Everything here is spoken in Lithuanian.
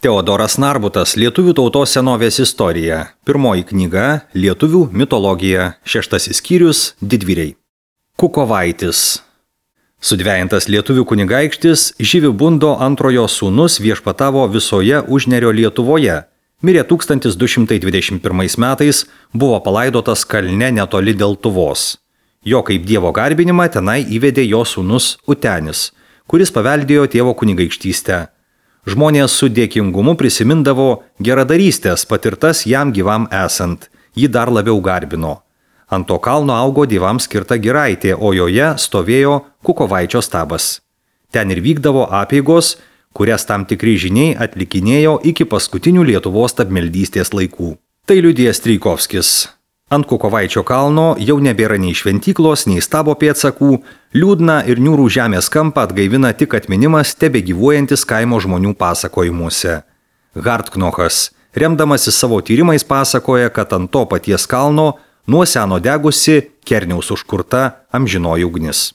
Teodoras Narbutas – Lietuvių tautos senovės istorija. Pirmoji knyga – Lietuvių mitologija. 6 skyrius – Didvyriai. Kukovaitis. Sudvejintas lietuvių kunigaikštis Živibundo antrojo sūnus viešpatavo visoje Užnerio Lietuvoje. Mirė 1221 metais, buvo palaidotas kalne netoli Deltuvos. Jo kaip dievo garbinimą tenai įvedė jo sūnus Utenis, kuris paveldėjo tėvo kunigaikštystę. Žmonės su dėkingumu prisimindavo geradarystės patirtas jam gyvam esant, jį dar labiau garbino. Ant to kalno augo dievams skirta giraitė, o joje stovėjo Kukovaičio stabas. Ten ir vykdavo apeigos, kurias tam tikri žiniai atlikinėjo iki paskutinių Lietuvos tapmeldystės laikų. Tai liudija Strijkovskis. Ant Kukovaičio kalno jau nebėra nei šventyklos, nei stabo pėdsakų, liūdną ir niūrų žemės kampą atgaivina tik atminimas tebegyvuojantis kaimo žmonių pasakojimuose. Hartknochas, remdamasis savo tyrimais, pasakoja, kad ant to paties kalno nuo seno degusi Kerniaus užkurta amžinoji ugnis.